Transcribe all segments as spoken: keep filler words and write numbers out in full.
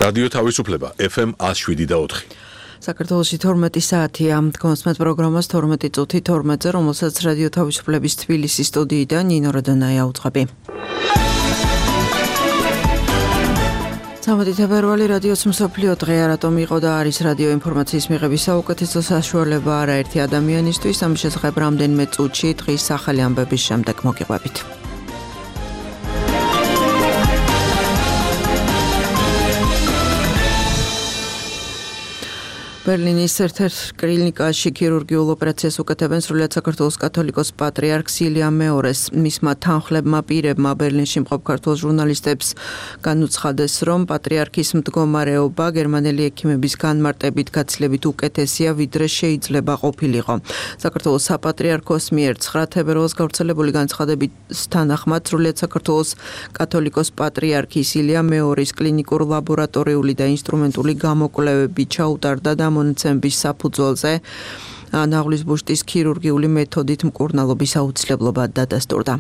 რადიო თავისუფლება ეფ ემ one oh seven და four. საქართველოში თორმეტი საათია გონსმეთ პროგრამას თორმეტი წუთი თორმეტზე, რომელსაც რადიო თავისუფლების თბილისის სტუდიიდან ნინო როდონაია უძღვები. სამოდი თებერვალი რადიოს მსოფლიო დღე რატომ იყო და არის რადიო ინფორმაციის მიღების საუკეთესო საშუალება არაერთი ადამიანისთვის, ამის შესახებ რამდენიმე წუთში დღის ახალი ამბების შემდეგ მოგიყვებით. ბერლინის ერთ-ერთ კლინიკაში ქირურგიულ ოპერაციას უკეთებენ სრულიად საქართველოს კათოლიკოს პატრიარქს ილია მეორეს. მისმა თანხლებმა პირებმა ბერლინში მყოფ ქართულ ჟურნალისტებს განუცხადეს, რომ პატრიარქის მდგომარეობა გერმანელი ექიმების განმარტებით გაცილებით უკეთესია, ვიდრე შეიძლება ყოფილიყო. საქართველოს საპატრიარქოს მიერ ცხრა თებერვალს გავრცელებული განცხადების თანახმად სრულიად საქართველოს კათოლიკოს პატრიარქის ილია მეორის კლინიკურ ლაბორატორიული და ინსტრუმენტული გამოკვლევები ჩაუტარდა და მონაცემების საფუძველზე ნაღლის ბუშტის ქირურგიული მეთოდით მკურნალობის აუცილებლობა დადასტურდა.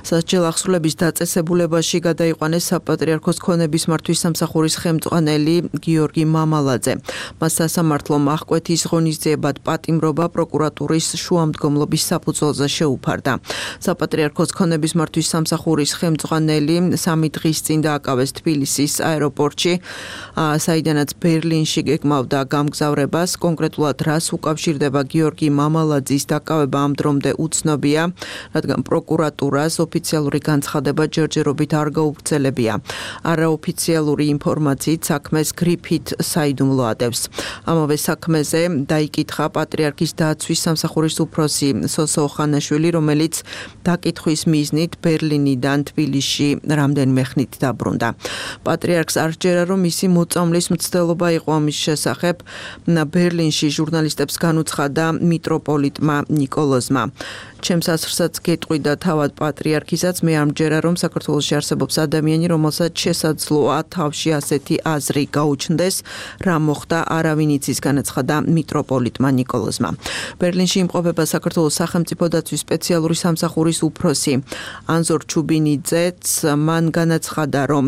სასჯელ ახსრულების დაწესებულებაში გადაიყვანეს საპატრიარქოს ქონების მართვის სამსახურის ხელმძღვანელი გიორგი მამალაძე. მას სასამართლო აღკვეთის ღონისძიებად პატიმრობა პროკურატურის შუამდგომლობის საფუძველზე შეუფარდა. საპატრიარქოს ქონების მართვის სამსახურის ხელმძღვანელი სამი დღის წინ დააკავეს თბილისის აეროპორტში, საიდანაც ბერლინში გეკმავდა გამგზავრებას. კონკრეტულად რას უკავშირდება გიორგი მამალაძის დაკავება ამ დრომდე უცნობია, რადგან პროკურატურას ოფიციალური განცხადება ჯერჯერობით არ გაუგრძელებია. არაოფიციალური ინფორმაციით საქმეს გრიფით საიდუმლო ადევს. ამავე საქმეზე დაიკითხა პატრიარქის დაცვის სამსახურის უფროსი სოსო ოხანაშვილი, რომელიც დაკითხვის მიზნით ბერლინიდან თბილისში რამდენიმე ხნით დაბრუნდა. პატრიარქს არ სჯერა, რომ მისი მოწამვლის მცდელობა იყო ამის შესახებ. ბერლინში ჟურნალისტებს განუცხადა მიტროპოლიტმა ნიკოლოზმა. ჩემს ასრსაც გეტყვიდა თავად პატრიარქისაც, მე არ მჯერა, რომ საქართველოში არსებობს ადამიანი, რომელსაც შესაძლოა თავში ასეთი აზრი გაუჩნდეს, რა მოხდა არავინ იცის, განაცხადა მიტროპოლიტმა ნიკოლოზმა. ბერლინში იმყოფება საქართველოს სახელმწიფო დაცვის სპეციალური სამსახურის უფროსი ანზორ ჩუბინიძეც, მან განაცხადა, რომ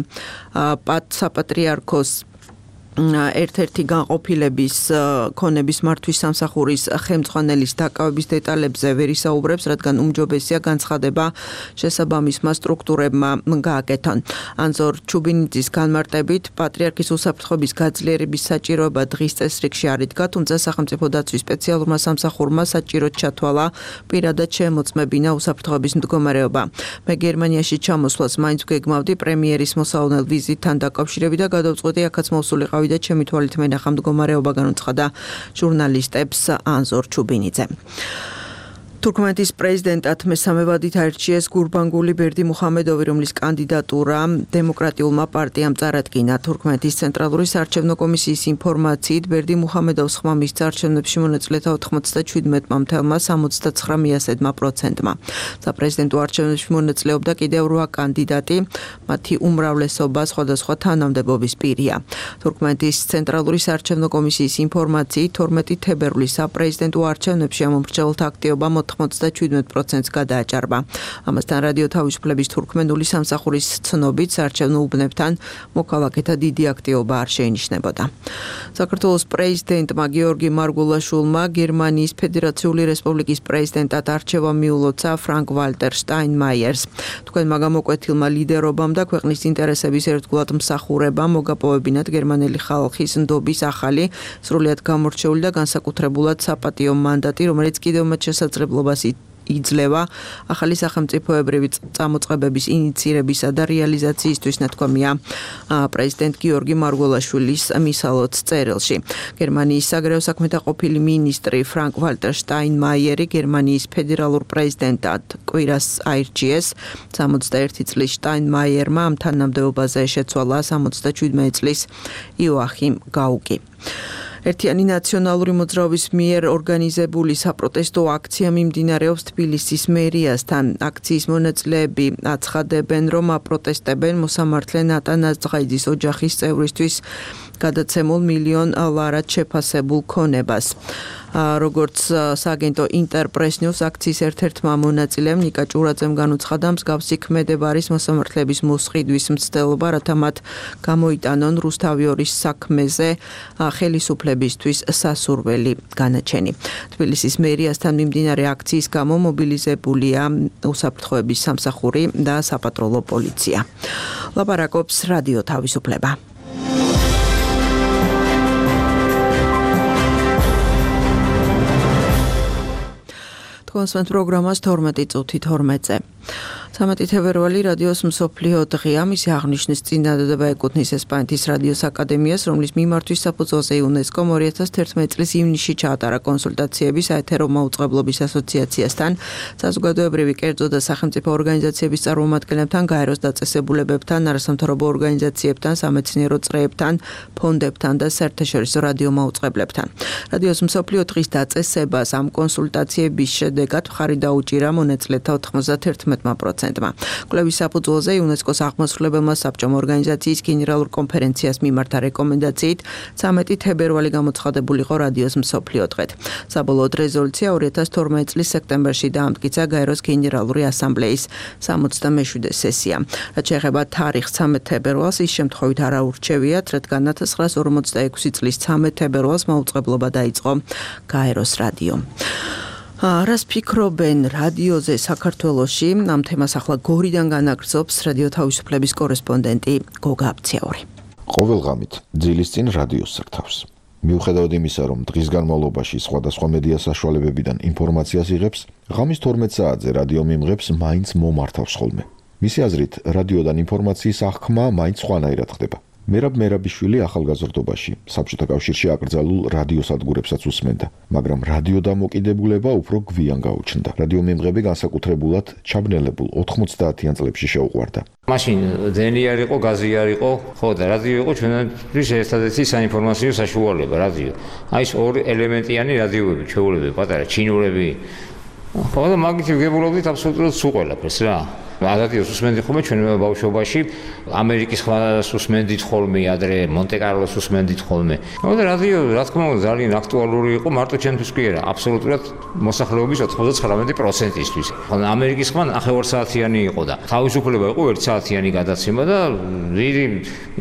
საპატრიარქოს ერთ-ერთი განყოფილების ქონების მართვის სამსახურის ხელმძღვანელის დაკავების დეტალებზე ვერ ისაუბრებს, რადგან უმჯობესია განცხადება შესაბამისმა სტრუქტურებმა გააკეთონ. ანზორ ჩუბინიძის განმარტებით, პატრიარქის უსაფრთხოების გაძლიერების საჭიროება დღის წესრიგში არ იდგა, თუმცა სახელმწიფო დაცვის სპეციალურმა სამსახურმა საჭიროდ ჩათვალა პირადად შემოწმებინა უსაფრთხოების მდგომარეობა. მე გერმანიაში ჩამოსვლას მაინც გეგმავდი პრემიერის მოსავალ ვიზიტთან დაკავშირებით და გადავწყვეტი აქაც მოსულიყავი და ჩემი თვალით მენახა მდგომარეობა, განუცხადა ჟურნალისტებს ანზორ ჩუბინიძე. თურქმეთის პრეზიდენტად მესამე ვადით აირჩიეს გურბანგული ბერდიმუხამედოვი, რომლის კანდიდატურა დემოკრატიულმა პარტიამ წარადგინა. თურქმეთის ცენტრალური საარჩევნო კომისიის ინფორმაციით, ბერდიმუხამედოვს ხმა მისცა არჩევნებში მონაწილეთა ოთხმოცდაჩვიდმეტმა მთელმა სამოცდაცხრა მიასედმა პროცენტმა. საპრეზიდენტო არჩევნებში მონაწილეობდა კიდევ რვა კანდიდატი, მათი უმრავლესობა სხვადასხვა თანამდებობის პირია. თურქმეთის ცენტრალური საარჩევნო კომისიის ინფორმაციით, თორმეტი თებერვლის საპრეზიდენტო არჩევნებში ამომრჩეველთა აქტივობა ოცდაჩვიდმეტ პროცენტს გადააჭარბა. ამასთან რადიო თავისუფლების თურქმენული სამსახურის ცნობით საარჩევნო უბნებთან მოქალაქეთა დიდი აქტივობა არ შეინიშნებოდა. საქართველოს პრეზიდენტმა გიორგი მარგულაშვილმა გერმანიის ფედერაციული რესპუბლიკის პრეზიდენტად არჩევა მიულოცა ფრანკ ვალტერ შტაინმაიერს. თქვენმა გამოკვეთილმა ლიდერობამ და ქვეყნის ინტერესების ერთგულად მსახურებამ მოგაპოვებინათ გერმანელი ხალხის ნდობის ახალი, სრულიად გამორჩეული და განსაკუთრებულად საპატიო მანდატი, რომელიც კიდევ მათ შესაძლებლობას იძლევა ახალი სახელმწიფოებრივი წამოწყებების ინიცირებისა და რეალიზაციისთვის, ნათქვამია პრეზიდენტ გიორგი მარგულაშვილის მისალოც წერილში. გერმანიის საგარეო საქმეთა ყოფილი მინისტრი ფრანკ ვალტერ შტაინმაიერი გერმანიის ფედერალურ პრეზიდენტად კვირას აირჩიეს. სამოცდაერთი წლის შტაინმაიერმა ამ თანამდებობაზე შეცვალა სამოცდაჩვიდმეტ წლის იოახიმ გაუკი. ერთიანი ნაციონალური მოძრაობის მიერ ორგანიზებული საპროტესტო აქცია მიმდინარეობს თბილისის მერიასთან. აქციის მონაწილეები აცხადებენ, რომ აპროტესტებენ მოსამართლე ნატანაზ ძღაიძის ოჯახის წევრისთვის გადაცემულ მილიონ ლარად შეფასებულ ქონებას. როგორც სააგენტო ინტერპრეს ნიუს აქციის ერთ-ერთმა მონაწილემ ნიკა ჭურაძემ განუცხადა, მსგავსი ქმედება არის მოსამართლეების მოსყიდვის მცდელობა, რათა მათ გამოიტანონ რუსთავიორის საქმეზე ხელისუფლებისთვის სასურველი განაჩენი. თბილისის მერიასთან მიმდინარე აქციის გამო მობილიზებულია უსაფრთხოების სამსახური და საპატროლო პოლიცია. ლაპარაკობს რადიო თავისუფლება. კონსვენთ პროგრამას თორმეტი წუთი თორმეტზე. სამეტი თებერვალი რადიოს მსოფლიო დღეა, მისი აღნიშვნის წინადადება ეკუთვნის ესპანეთის რადიოს აკადემიას, რომლის მიმართვის საფუძველზე იუნესკომ ორი ათას თერთმეტი წლის ივნისში ჩაატარა კონსულტაციები საეთერო მაუწყებლობის ასოციაციასთან, საზოგადოებრივი კერძო და სახელმწიფო ორგანიზაციების წარმომადგენლებთან, გაეროს დაწესებულებებთან, არასამთავრობო ორგანიზაციებთან, სამეცნიერო წრეებთან, ფონდებთან და საერთაშორისო რადიო მაუწყებლებთან. რადიოს მსოფლიო დღის დაწესებას ამ კონსულტაციების შედეგად მხარი დაუჭირა მონაწილეთა ოთხმოცდათერთმეტ პროცენტმა. კვლევის საფუძველზე იუნესკოს აღმასრულებელმა საბჭომ ორგანიზაციის გენერალურ კონფერენციას მიმართა რეკომენდაციით ცამეტი თებერვალი გამოცხადებულიყო რადიოს მსოფლიო დღედ. საბოლოოდ რეზოლუცია ორი ათას თორმეტი წლის სექტემბერში დაამტკიცა გაეროს გენერალური ასამბლეის სამოცდამეშვიდე სესია. რაც შეეხება თარიღს ცამეტ თებერვალს, ის შემთხვევით არ აურჩევიათ, რადგან ათას ცხრაას ორმოცდაექვსი წლის ცამეტ თებერვალს მაუწყებლობა დაიწყო გაეროს რადიომ. რას ფიქრობენ რადიოზე საქართველოში? ამ თემას ახლა გორიდან განაგრძობს რადიო თავისუფლების კორესპონდენტი გოგა აბციაური. ყოველ ღამით ძილის წინ რადიოს სარდავს. მიუხედავად იმისა, რომ დღის განმავლობაში სხვადასხვა მედია საშუალებებიდან ინფორმაციას იღებს, ღამის თორმეტ საათზე რადიო მიმღებს მაინც მომართავს ხოლმე. მისი აზრით, რადიოდან ინფორმაციის აღქმა მაინც სხვანაირად ხდება. მერაბ მერაბიშვილი ახალგაზრდობაში საბჭოთა კავშირში აკრძალულ რადიოსადგურებსაც უსმენდა, მაგრამ რადიო დამოკიდებულება უფრო გვიან გაუჩნდა. რადიო მიმღები განსაკუთრებულად ჩაბნელებულ ოთხმოცდაათიან წლებში შეუყვარდა. მაშინ დენი არ იყო, გაზი არ იყო, ხო და რადიო იყო ჩვენთვის ერთადერთი საინფორმაციო საშუალება, რადიო. აი ეს ორი ელემენტიანი რადიოები, ჩვეულებები, პატარა ჩინურები. ხო და მაგით ვგებულობდით აბსოლუტურად სულ ყველაფერს რა. რადიოს უსმენდით ხოლმე ჩვენ ბავშვობაში, ამერიკის ხმას უსმენდით ხოლმე, ადრე მონტე-კარლოს უსმენდით ხოლმე. ხო და რადიო, რა თქმა უნდა, ძალიან აქტუალური იყო, მარტო ჩვენთვის კი არა, აბსოლუტურად მოსახლეობის ოცდათხმეტ პროცენტისთვის. ხო და ამერიკის ხმა ნახევარ საათიანი იყო და თავისუფლება იყო ერთ საათიანი გადაცემა და დიდი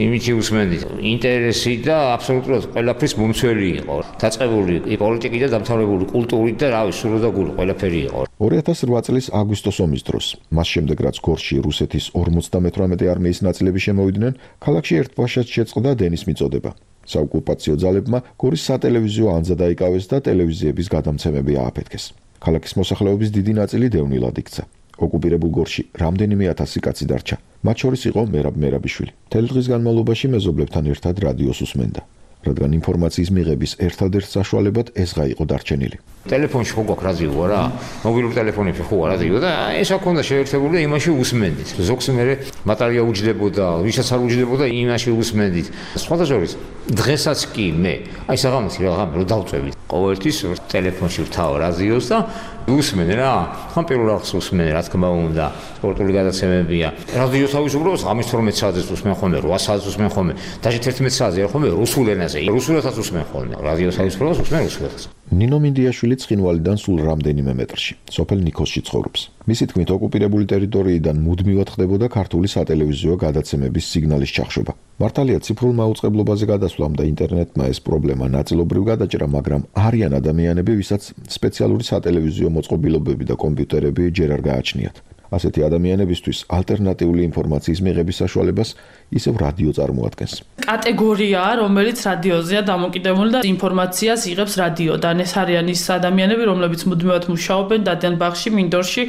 იმითი უსმენდით. ინტერესი და აბსოლუტურად ყველაფრის მომცველი იყო. დაწყებული პოლიტიკით და დამთავრებული კულტურით და რავი, სულ და გული ყველაფერი იყო. ორი ათას რვა წლის აგვისტოს ომის დროს, მას შემდეგ რაც გორში რუსეთის ორმოცდამეთვრამეტე არმიის ნაწილები შემოვიდნენ, ქალაქში ერთბაშად შეწყდა დენის მიწოდება. საოკუპაციო ძალებმა გორის სატელევიზიო ანძა დაიკავეს და ტელევიზიების გადამცემები ააფეთქეს. ქალაქის მოსახლეობის დიდი ნაწილი დევნილად იქცა. ოკუპირებულ გორში რამდენიმე ათასი კაცი დარჩა. მათ შორის იყო მერაბ მერაბიშვილი. მთელი დღის განმავლობაში მეზობლებთან ერთად რადიოს უსმენდა, რადგან ინფორმაციის მიღების ერთადერთ საშუალებად ესღა იყო დარჩენილი. ტელეფონში ხო გვაქვს რადიო რა, მობილურ ტელეფონებში ხო რადიო და ეს აქ უნდა შეერთებული და იმაში უსმენდით. ზოგს მერე ბატარეა უჯდებოდა, ვისაც არ უჯდებოდა, იმაში უსმენდით. სხვათა შორის დღესაც კი მე, აი საღამოთი რა ღამე რო დავწევით, ყოველთვის ტელეფონში ვთავ რადიოს და უსმენე რა, ხან პირველ რიგს უსმენე, რა თქმა უნდა, სპორტული გადაცემებია. რადიო თავისუფლებას ღამის თორმეტ საათზე უსმენ ხოლმე, რვა საათზე უსმენ ხოლმე, დაჟე თერთმეტ საათზე არ ხოლმე რუსულ ენაზე, რუსულადაც უსმენ ხოლმე. რადიო თავისუფლებას უსმენ რუსულადაც. ნინო მინდიაშვილი ცხინვალიდან სულ რამდენიმე მეტრში, სოფელ ნიქოსში ცხოვრობს. მისი თქმით, ოკუპირებული ტერიტორიიდან მუდმივად ხდებოდა ქართული სატელევიზიო გადაცემების სიგნალის ჩახშობა. მართალია ციფრულ მაუწყებლობაზე გადასვლამ და ინტერნეტმა ეს პრობლემა ნაწილობრივ გადაჭრა, მაგრამ არიან ადამიანები, ვისაც სპეციალური სატელევიზიო მოწყობილობები და კომპიუტერები ჯერ არ გააჩნიათ. ასეთი ადამიანებისთვის ალტერნატიული ინფორმაციის მიღების საშუალებას ისევ რადიო წარმოადგენს. კატეგორია, რომელიც რადიოზეა დამოკიდებული და ინფორმაციას იღებს რადიოდან. ეს არიან ის ადამიანები, რომლებიც მუდმივად მუშაობენ დადიან ბაღში, მინდორში,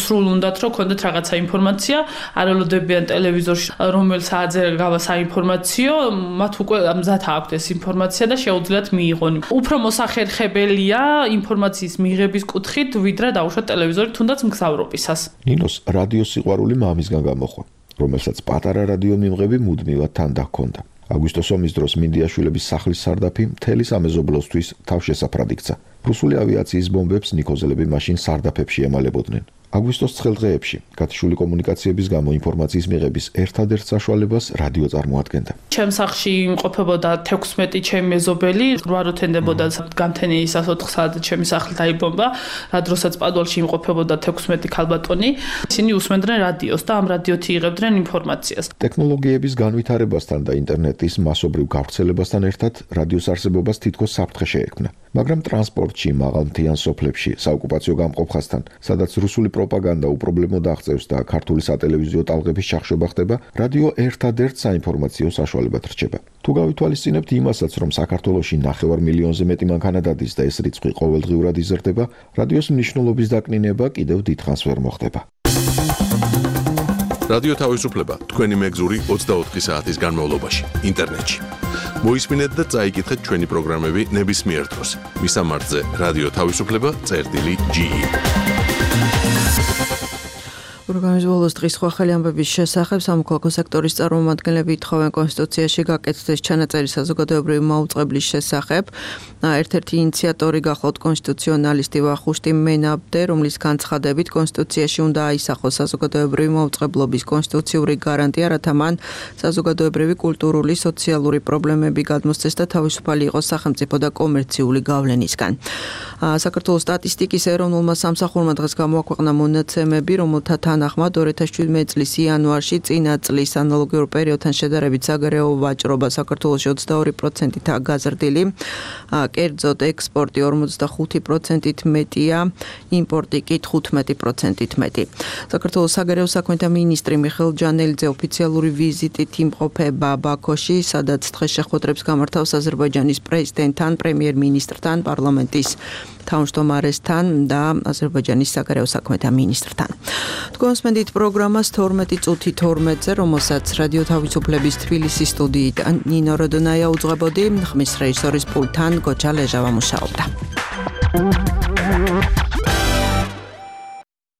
სრულ უნდათ რომ ქონდეთ რაღაცა ინფორმაცია, არ ელოდებიან ტელევიზორში, რომელ საათზე გავა საინფორმაციო, მათ უკვე მზად აქვთ ეს ინფორმაცია და შეუძლიათ მიიღონ. უფრო მოსახერხებელია ინფორმაციის მიღების კუთხით, ვიდრე დაუშვათ ტელევიზორი თუნდაც მგზავრობისას. ნინოს რადიოს სიყვარული მამისგან გამოხვა, რომელსაც პატარა რადიო მიმღები მუდმივად თან დahქონდა. აგვისტოს ომის დროს მინდიაშვილების სახლის სარდაფი მთელი სამეზობლოსთვის თავშესაფრად იქცა. რუსული ავიაციის ბომბებს ნიქოზელები მაშინ სარდაფებში ემალებოდნენ. აგვისტოს ცხელ დღეებში გათიშული კომუნიკაციების გამო ინფორმაციის მიღების ერთადერთ საშუალებას რადიო წარმოადგენდა. ჩემს სახლში იმყოფებოდა თექვსმეტი ჩემი მეზობელი, რვა რო თენდებოდა განთენიისას ოთხ საათზე ჩემი სახლი დაიბომბა, რა დროსაც პადუალში იმყოფებოდა თექვსმეტი ქალბატონი. ისინი უსმენდნენ რადიოს და ამ რადიოთი იღებდნენ ინფორმაციას. ტექნოლოგიების განვითარებასთან და ინტერნეტის მასობრივ გავრცელებასთან ერთად რადიოს არსებობას თითქოს საფრთხე შეექმნა. მაგრამ ტრანსპორტში, მაღალმთიან სოფლებში, საოკუპაციო გამყოფხასთან, სადაც რუსული პროპაგანდა უპრობლემოდ აღწევს და ქართული სატელევიზიო ტალღების ჩახშობა ხდება, რადიო ერთადერთ საინფორმაციო საშუალებად რჩება. თუ გავითვალისწინებთ იმასაც, რომ საქართველოში ნახევარ მილიონზე მეტი მანქანა დადის და ეს რიცხვი ყოველდღიურად იზრდება, რადიოს მნიშვნელობის დაკნინება კიდევ დიდხანს ვერ მოხდება. რადიო თავისუფლება თქვენი მეგზური ოცდაოთხი საათის განმავლობაში ინტერნეტში. მოისმინეთ და წაიკითხეთ ჩვენი პროგრამები ნებისმიერ დროს. მისამართზე რადიო თავისუფლება წერტილი ჯი ი. პროგრამის ბოლოს დღის სხვა ხელი ამბების შესახებ სამოქალაქო სექტორის წარმომადგენლები ითხოვენ კონსტიტუციაში გაკეთდეს ჩანაწერი საზოგადოებრივი მაუწყებლის შესახებ. ერთ-ერთი ინიციატორი გახლავთ კონსტიტუციონალისტი ვახუშტი მენაბდე, რომლის განცხადებით კონსტიტუციაში უნდა აისახოს საზოგადოებრივი მაუწყებლობის კონსტიტუციური გარანტია, რათა მან საზოგადოებრივი, კულტურული, სოციალური პრობლემები გადმოსცეს და თავისუფალი იყოს სახელმწიფო და კომერციული გავლენისგან. საქართველოს სტატისტიკის ეროვნულმა სამსახურმა დღეს გამოაქვეყნა მონაცემები, რომელთა თანახმად ორი ათას შვიდმეტი წლის იანვარში წინა წლის ანალოგიურ პერიოდთან შედარებით საგარეო ვაჭრობა საქართველოში ოცდაორი პროცენტითაა გაზრდილი, კერძოდ ექსპორტი ორმოცდახუთი პროცენტით მეტია, იმპორტი კი თხუთმეტი პროცენტით მეტი. საქართველოს საგარეო საქმეთა მინისტრი მიხეილ ჯანელიძე ოფიციალური ვიზიტით იმყოფება ბაქოში, სადაც დღეს შეხვედრებს გამართავს აზერბაიჯანის პრეზიდენტთან, პრემიერ-მინისტრთან, პარლამენტის თავმჯდომარესთან და აზერბაიჯანის საგარეო საქმეთა მინისტრთან. თქვენს მედით პროგრამას თორმეტი წუთი თორმეტზე, რომელსაც რადიო თავისუფლების თბილისის სტუდიით ნინო როდონაია უძღვებოდი, ხმის რეჟისორის პულტთან გოჩა ლეჟავა მუშაობდა.